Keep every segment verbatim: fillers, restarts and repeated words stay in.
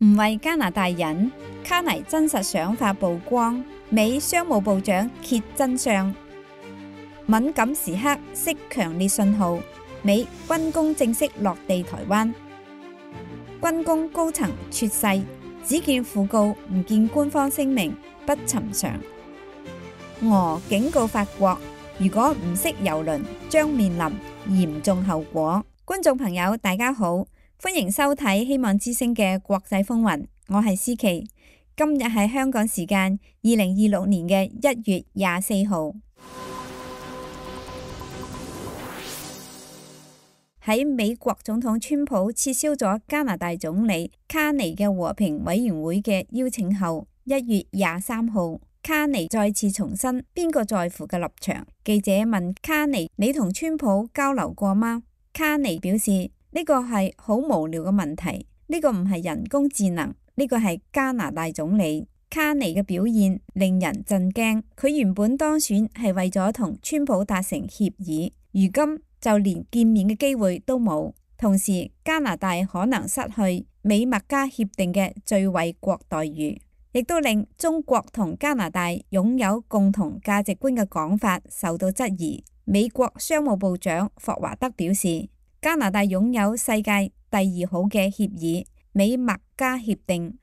唔為加拿大人，卡尼真實想法曝光，美商務部長揭真相。敏感時刻釋強烈信號，美軍工正式落地台灣。軍工高層猝逝，只見訃告唔見官方聲明，不尋常。俄警告法國，如果唔識郵輪，將面臨嚴重後果。觀眾朋友，大家好，歡迎收睇希望之聲嘅國際風雲，我係思琪。今日係香港時間二零二六年嘅一月廿四號。喺美國總統川普撤銷咗加拿大總理卡尼嘅和平委員會嘅邀請後，一月廿三號，卡尼再次重申邊個在乎嘅立場。記者問卡尼：你同川普交流過嗎？卡尼表示呢個係好無聊嘅問題，呢個唔係人工智能，呢個係加拿大總理。卡尼嘅表現令人震驚，佢原本當選係為咗同川普達成協議，如今就連見面嘅機會都冇。同時，加拿大可能失去美墨加協定嘅最惠國待遇，亦都令中國同加拿大擁有共同價值觀嘅講法受到質疑。美國商務部長霍華德表示，加拿大擁有世界第二好嘅協議美墨加協定，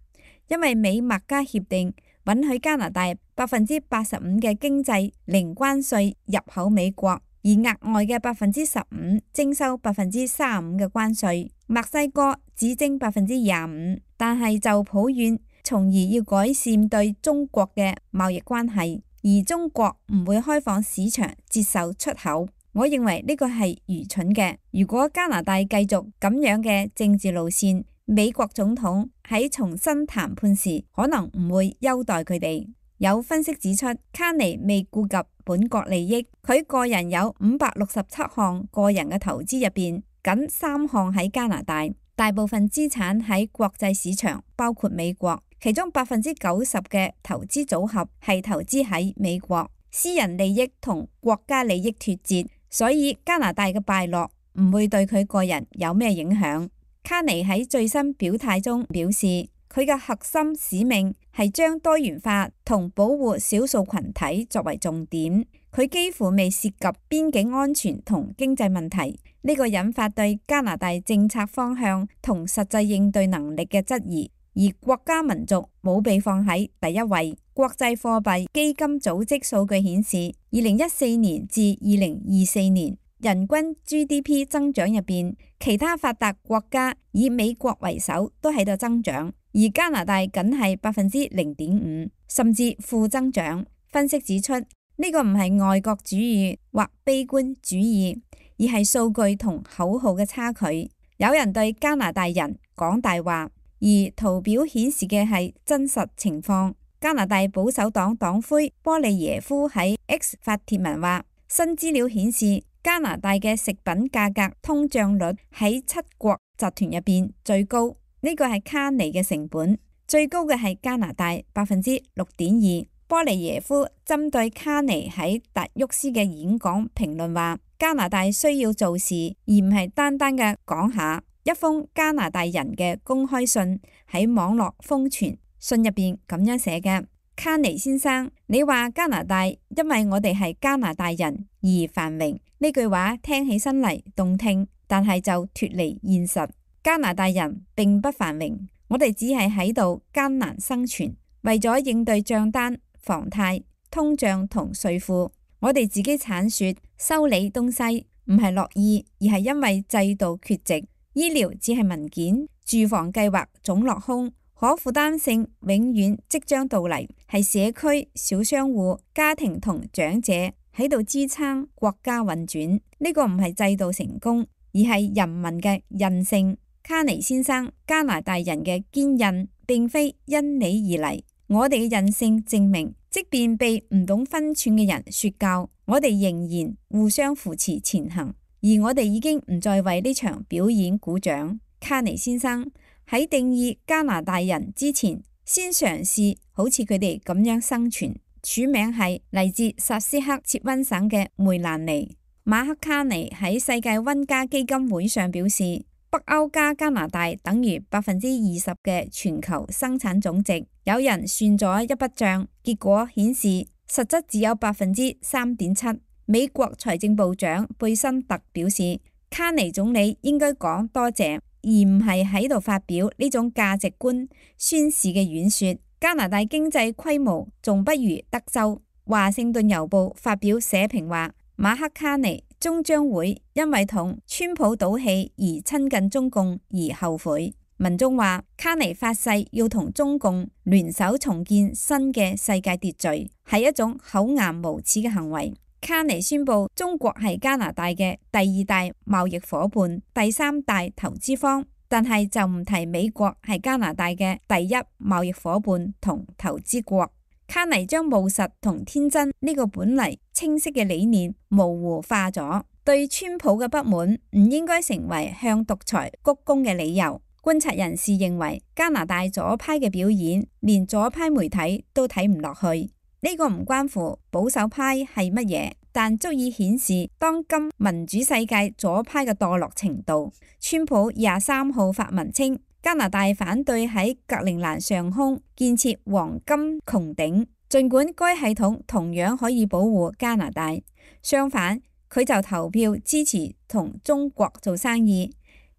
因為美墨加協定允許加拿大百分之八十五嘅經濟零關稅入口美國，而額外嘅百分之十五徵收百分之三十五嘅關稅，墨西哥只徵百分之廿五，但係就抱怨，從而要改善對中國嘅貿易關係。而中國唔會開放市場接受出口，我認為呢個係愚蠢嘅。如果加拿大繼續咁樣嘅政治路線，美國總統喺重新談判時可能唔會優待佢哋。有分析指出，卡尼未顧及本國利益，佢個人有五百六十七項個人嘅投資入邊，僅三項喺加拿大，大部分資產喺國際市場，包括美國。其中百分之九十嘅投資組合係投資喺美國，私人利益同國家利益脫節，所以加拿大嘅敗落唔會對佢個人有咩影響。卡尼喺最新表態中表示，佢嘅核心使命係將多元化同保護少數群體作為重點，佢幾乎未涉及邊境安全同經濟問題，呢個引發對加拿大政策方向同實際應對能力嘅質疑。而國家民族冇被放喺第一位。國際貨幣基金組織數據顯示，二零一四年至二零二四年人均 G D P 增長入邊，其他發達國家以美國為首都喺度增長，而加拿大僅係百分之零點五，甚至負增長。分析指出，呢個唔係愛國主義或悲觀主義，而係數據同口號嘅差距。有人對加拿大人講大話。而圖表顯示嘅係真實情況。加拿大保守黨黨魁波利耶夫喺 X 發帖文話，新資料顯示加拿大嘅食品價格通脹率喺七國集團入邊最高，呢個係卡尼嘅成本，最高嘅係加拿大百分之六點二。波利耶夫針對卡尼喺達沃斯嘅演講評論話，加拿大需要做事，而唔係單單嘅講下。一封加拿大人嘅公開信喺網絡瘋傳，信入邊咁樣寫嘅：卡尼先生，你話加拿大因為我哋係加拿大人而繁榮，呢句話聽起身嚟動聽，但係就脫離現實。加拿大人並不繁榮，我哋只係喺度艱難生存，為咗應對賬單、房貸、通脹同稅負，我哋自己鏟雪、修理東西，唔係樂意，而係因為制度缺席。醫療只係文件，住房計劃總落空，可負擔性永遠即將到嚟，係社區、小商戶、家庭同長者喺度支撐國家運轉。呢個唔係制度成功，而係人民嘅韌性。卡尼先生，加拿大人嘅堅韌並非因你而嚟，我哋嘅韌性證明，即便被唔懂分寸嘅人說教，我哋仍然互相扶持前行。而我哋已經唔再為呢場表演鼓掌。卡尼先生，喺定義加拿大人之前，先嘗試好似佢哋咁樣生存。署名係嚟自薩斯克切溫省嘅梅蘭妮。馬克卡尼喺世界溫家基金會上表示，北歐加加拿大等於百分之二十嘅全球生產總值。有人算咗一筆帳，結果顯示實質只有百分之三點七。美國財政部長貝森特表示，卡尼總理應該講多謝，而唔係喺度發表呢種價值觀宣示嘅演說。加拿大經濟規模仲不如德州。華盛頓郵報發表社評話，馬克卡尼終將會因為同川普賭氣而親近中共而後悔。文中話，卡尼發誓要同中共聯手重建新嘅世界秩序，係一種厚顏無恥嘅行為。卡尼宣布中國係加拿大嘅第二大貿易夥伴、第三大投資方，但係就唔提美國係加拿大嘅第一貿易夥伴同投資國。卡尼將務實同天真呢個本嚟清晰嘅理念模糊化咗，對川普嘅不滿唔應該成為向獨裁鞠躬嘅理由。觀察人士認為，加拿大左派嘅表演連左派媒體都睇唔落去。呢個唔關乎保守派係乜嘢，但足以顯示當今民主世界左派嘅墮落程度。川普廿三號發文稱，加拿大反對喺格陵蘭上空建設黃金穹頂，儘管該系統同樣可以保護加拿大，相反佢就投票支持同中國做生意，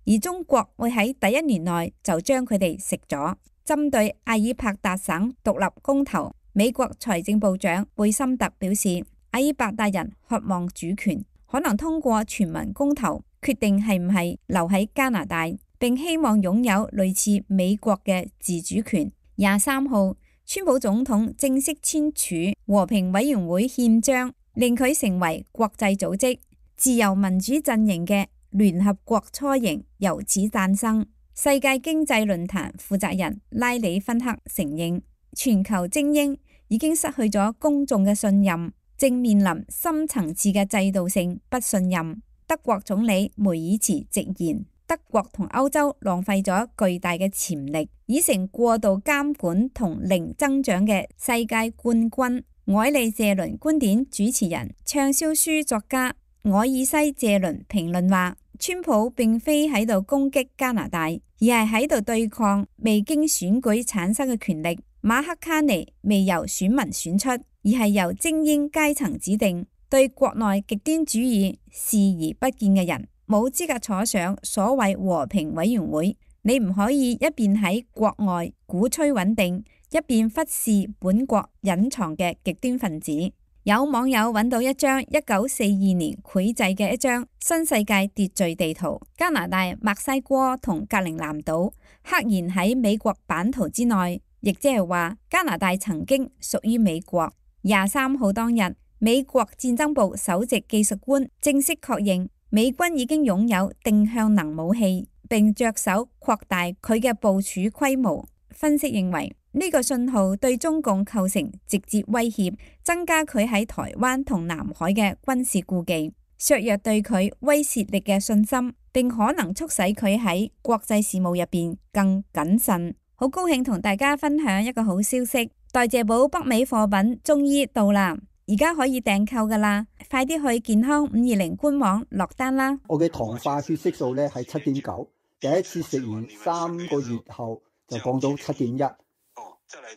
而中國會喺第一年內就將佢哋食咗。針對阿爾伯達省獨立公投，美國財政部長貝森特表示，阿爾伯達人渴望主權，可能通過全民公投決定係唔係留喺加拿大，並希望擁有類似美國嘅自主權。廿三號，川普總統正式簽署和平委員會憲章，令佢成為國際組織自由民主陣營嘅聯合國雛形由此誕生。世界經濟論壇負責人拉里芬克承認，全球精英已經失去咗公眾嘅信任，正面臨深層次嘅制度性不信任。德國總理梅爾茨直言，德國同歐洲浪費咗巨大嘅潛力，已成過度監管同零增長嘅世界冠軍。凱利謝倫觀點主持人、暢銷書作家凱爾西謝倫評論話，川普並非喺度攻擊加拿大，而係喺度對抗未經選舉產生嘅權力。馬克卡尼未由選民選出，而係由精英階層指定。對國內極端主義視而不見嘅人，冇資格坐上所謂和平委員會。你唔可以一邊喺國外鼓吹穩定，一邊忽視本國隱藏嘅極端分子。有網友揾到一張一九四二年繪製嘅一張新世界秩序地圖，加拿大墨西哥同格陵蘭島赫然喺美國版圖之內，亦即係話加拿大曾經屬於美國。廿三號當日，美國戰爭部首席技術官正式確認美軍已經擁有定向能武器，並着手擴大佢嘅部署規模。分析認為，呢個信號對中共構成直接威脅，增加佢喺台灣同南海嘅軍事顧忌，削弱對佢威懾力嘅信心，並可能促使佢喺國際事務入邊更謹慎。好高興同大家分享一個好消息，代謝寶北美貨品終於到啦，而家可以訂購噶啦，快啲去健康五二零官網落單啦。我嘅糖化血色素咧係七點九，第一次食完三個月後就降到七點一。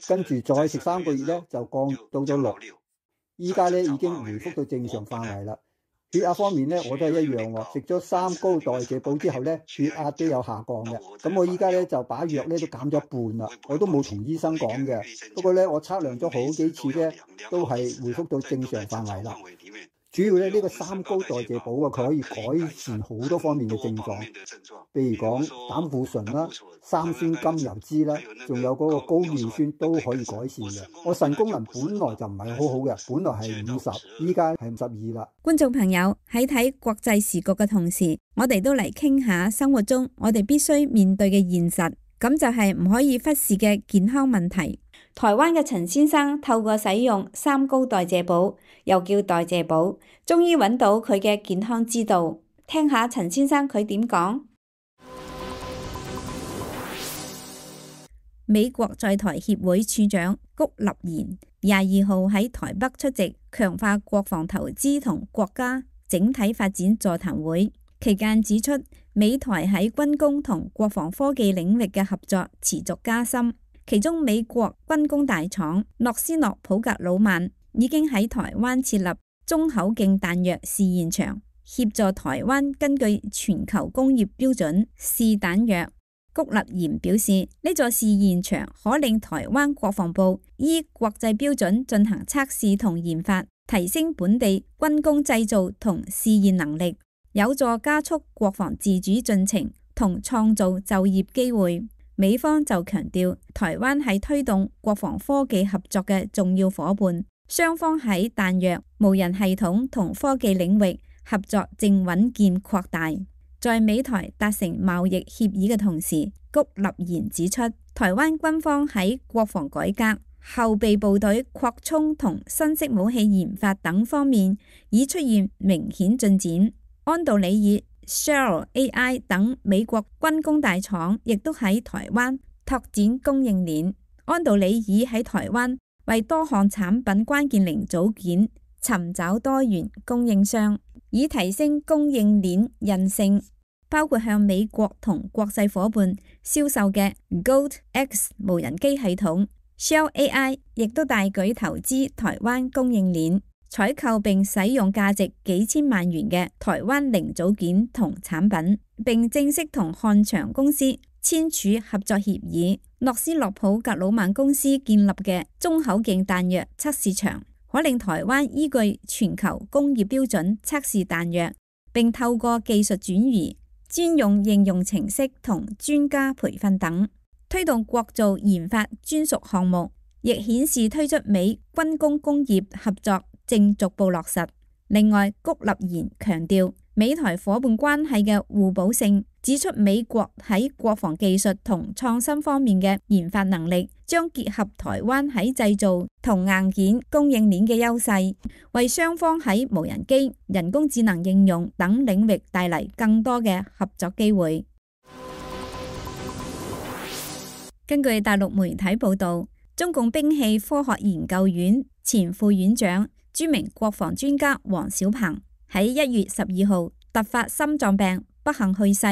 跟住再食三個月咧，就降到咗六。依家咧已經回復到正常範圍啦。血壓方面咧，我都係一樣喎。食咗三高代謝寶之後咧，血壓都有下降嘅。咁我依家咧就把藥咧都減咗一半啦。我都冇同醫生講嘅。不過咧，我測量咗好幾次咧，都係回復到正常範圍啦。主要咧呢個三高代謝寶啊，佢可以改善好多方面嘅症狀，譬如講膽固醇啦、三酸甘油酯啦，仲有嗰個高尿酸都可以改善嘅。我腎功能本來就唔係好好嘅，本來係五十，依家係五十二啦。觀眾朋友喺睇國際時局嘅同時，我哋都嚟傾下生活中我哋必須面對嘅現實，咁就係唔可以忽視嘅健康問題。台灣嘅陳先生透過使用三高代謝寶，又叫代謝寶，終於揾到佢嘅健康之道。聽下陳先生佢點講。美國在台協會處長谷立言廿二號喺台北出席強化國防投資同國家整體發展座談會期間指出，美台喺軍工同國防科技領域嘅合作持續加深。其中，美國軍工大廠諾斯諾普格魯曼已經喺台灣設立中口徑彈藥試驗場，協助台灣根據全球工業標準試彈藥。谷立賢表示，呢座試驗場可令台灣國防部依國際標準進行測試同研發，提升本地軍工製造同試驗能力，有助加速國防自主進程同創造就業機會。美方就強調，台灣係推動國防科技合作嘅重要夥伴，雙方喺彈藥、無人系統同科技領域合作正穩健擴大。在美台達成貿易協議嘅同時，谷立賢指出，台灣軍方喺國防改革、後備部隊擴充同新式武器研發等方面已出現明顯進展。安道里爾、Shell A I 等美國軍工大廠亦都喺台灣拓展供應鏈。安道里爾喺台灣為多項產品關鍵零組件尋找多元供應商，以提升供應鏈韌性，包括向美國同國際夥伴銷售嘅 Gold X 無人機系統。Shell A I 亦都大舉投資台灣供應鏈，採購並使用價值幾千萬元嘅台灣零組件同產品，並正式同漢翔公司簽署合作協議。諾斯諾普格魯曼公司建立嘅中口徑彈藥測試場，可令台灣依據全球工業標準測試彈藥，並透過技術轉移、專用應用程式同專家培訓等，推動國造研發專屬項目，亦顯示推出美軍工工業合作正逐步落實。另外，谷立賢強調美台夥伴關係嘅互補性，指出美國喺國防技術同創新方面嘅研發能力，將結合台灣喺製造同硬件供應鏈嘅優勢，為雙方喺無人機、人工智能應用等領域帶嚟更多嘅合作機會。根據大陸媒體報導，中共兵器科學研究院前副院長、著名國防專家王小鵬喺一月十二號突發心臟病不幸去世，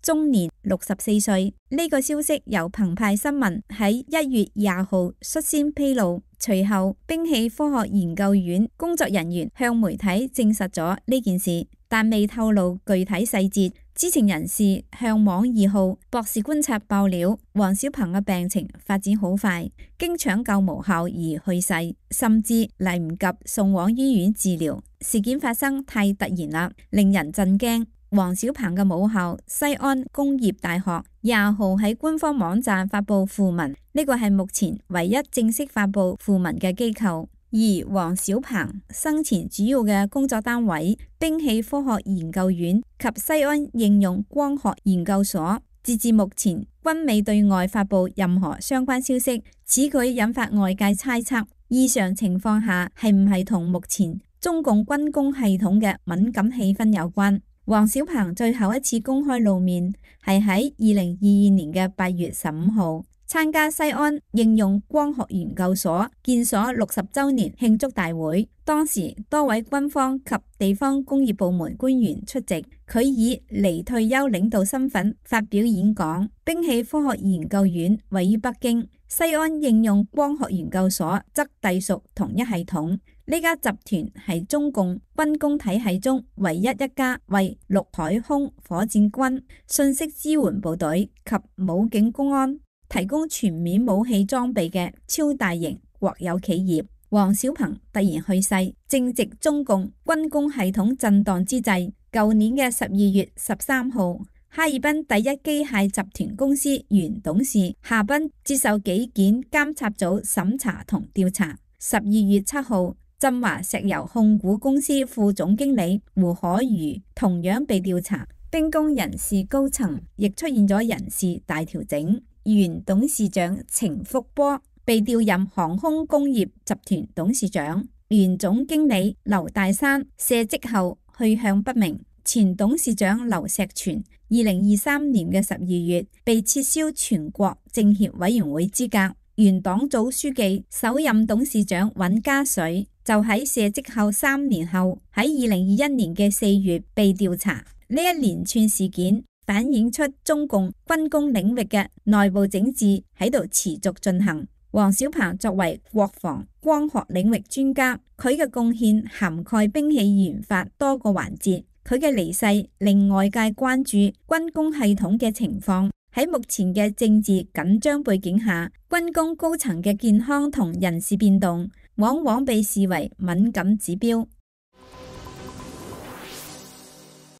終年六十四歲。呢、這個消息由澎湃新聞喺一月廿號率先披露，隨後兵器科學研究院工作人員向媒體證實咗呢件事，但未透露具體細節。知情人士向網二號博士觀察爆料，王小鵬嘅病情發展好快，經搶救無效而去世，甚至嚟唔及送往醫院治療。事件發生太突然啦，令人震驚。王小鵬嘅母校西安工業大學廿號喺官方網站發布訃文，呢個係目前唯一正式發布訃文嘅機構。而王小鵬生前主要嘅工作單位兵器科學研究院及西安應用光學研究所，截至目前均未對外發布任何相關消息。此舉引發外界猜測，異常情況下係唔係同目前中共軍工系統嘅敏感氣氛有關？王小鵬最後一次公開露面係喺二零二二年嘅八月十五號。參加西安應用光學研究所建所六十週年慶祝大會，當時多位軍方及地方工業部門官員出席，佢以離退休領導身份發表演講。兵器科學研究院位於北京，西安應用光學研究所則隸屬同一系統。呢家集團係中共軍工體系中唯一一家為陸海空火箭軍、信息支援部隊及武警公安提供全面武器裝備嘅超大型國有企業。王小鵬突然去世，正值中共軍工系統震盪之際。舊年嘅十二月十三號，哈爾濱第一機械集團公司原董事夏斌接受紀檢監察組審查同調查。十二月七號，振華石油控股公司副總經理胡可瑜同樣被調查。兵工人事高層亦出現咗人事大調整。原董事長程福波被調任航空工業集團董事長，原總經理劉大山卸職後去向不明。前董事長劉石全二零二三年嘅十二月被撤銷全國政協委員會資格。原黨組書記、首任董事長尹家水就喺卸職後三年後喺二零二一年嘅四月被調查。呢一連串事件反映出中共軍工領域嘅內部整治喺度持續進行。王小鵬作為國防光學領域專家，佢嘅貢獻涵蓋兵器研發多個環節。佢嘅離世令外界關注軍工系統嘅情況。喺目前嘅政治緊張背景下，軍工高層嘅健康同人事變動往往被視為敏感指標。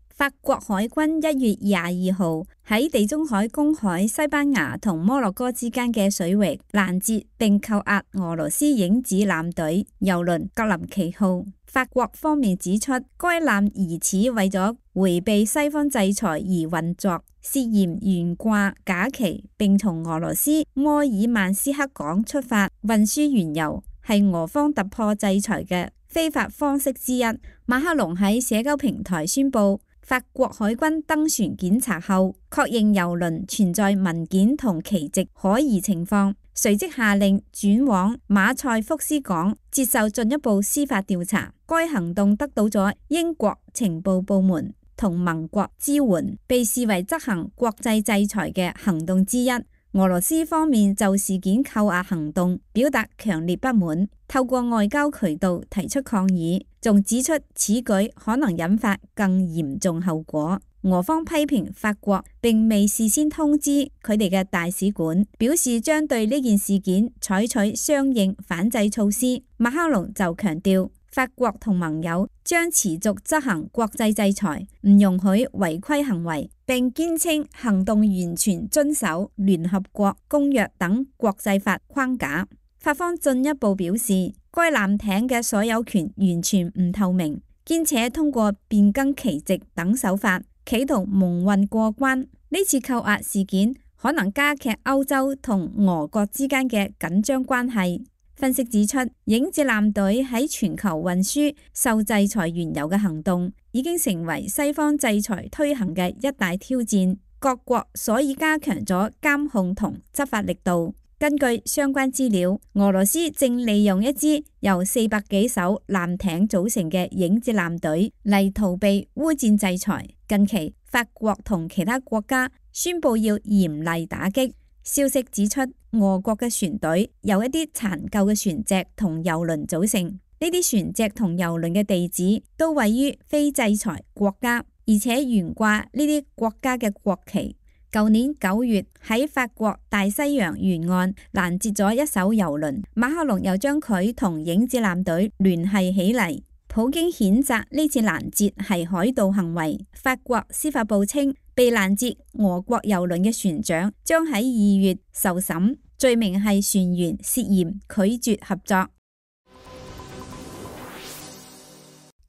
法國海軍一月廿二號喺地中海公海西班牙同摩洛哥之間嘅水域攔截並扣押俄羅斯影子艦隊郵輪格林奇號。法國方面指出，該艦疑似為咗迴避西方制裁而運作，涉嫌懸掛假旗，並從俄羅斯摩爾曼斯克港出發運輸原油，係俄方突破制裁嘅非法方式之一。馬克龍喺社交平台宣布，法國海軍登船檢查後，確認郵輪存在文件同旗籍可疑情況，隨即下令轉往馬賽福斯港接受進一步司法調查。該行動得到咗英國情報部門同盟國支援，被視為執行國際制裁嘅行動之一。俄羅斯方面就事件扣押行動表達強烈不滿，透過外交渠道提出抗議，仲指出此舉可能引發更嚴重後果。俄方批評法國並未事先通知佢哋嘅大使館，表示將對呢件事件採取相應反制措施。馬克龍就強調，法國同盟友將持續執行國際制裁，唔容許違規行為，並堅稱行動完全遵守聯合國公約等國際法框架。法方進一步表示，該艦艇嘅所有權完全唔透明，兼且通過變更旗籍等手法，企圖蒙混過關。呢次扣押事件可能加劇歐洲同俄國之間嘅緊張關係。分析指出，影子艦隊喺全球運輸受制裁原油嘅行動已經成為西方制裁推行嘅一大挑戰，各國所以加強咗監控同執法力度。根據相關資料，俄羅斯正利用一支由四百幾艘艦艇組成嘅影子艦隊嚟逃避烏戰制裁。近期，法國同其他國家宣布要嚴厲打擊。消息指出，俄國嘅船隊由一啲殘舊嘅船隻同郵輪組成，呢啲船隻同郵輪嘅地址都位於非制裁國家，而且懸掛呢啲國家嘅國旗。舊年九月喺法國大西洋沿岸攔截咗一艘郵輪，馬克龍又將佢同影子艦隊聯繫起嚟。普京譴責呢次攔截係海盜行為。法國司法部稱，被攔截俄國郵輪嘅船長將喺二月受審，罪名係船員涉嫌拒絕合作。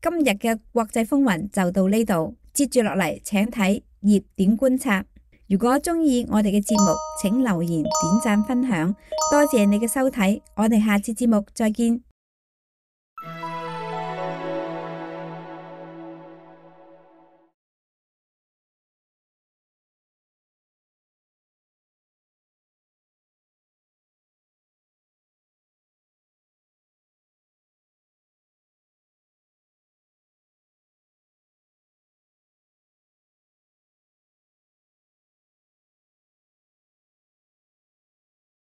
今日嘅國際風雲就到呢度，接住落嚟請睇熱點觀察。如果中意我哋嘅節目，請留言、點讚、分享，多謝你嘅收睇，我哋下次節目再見。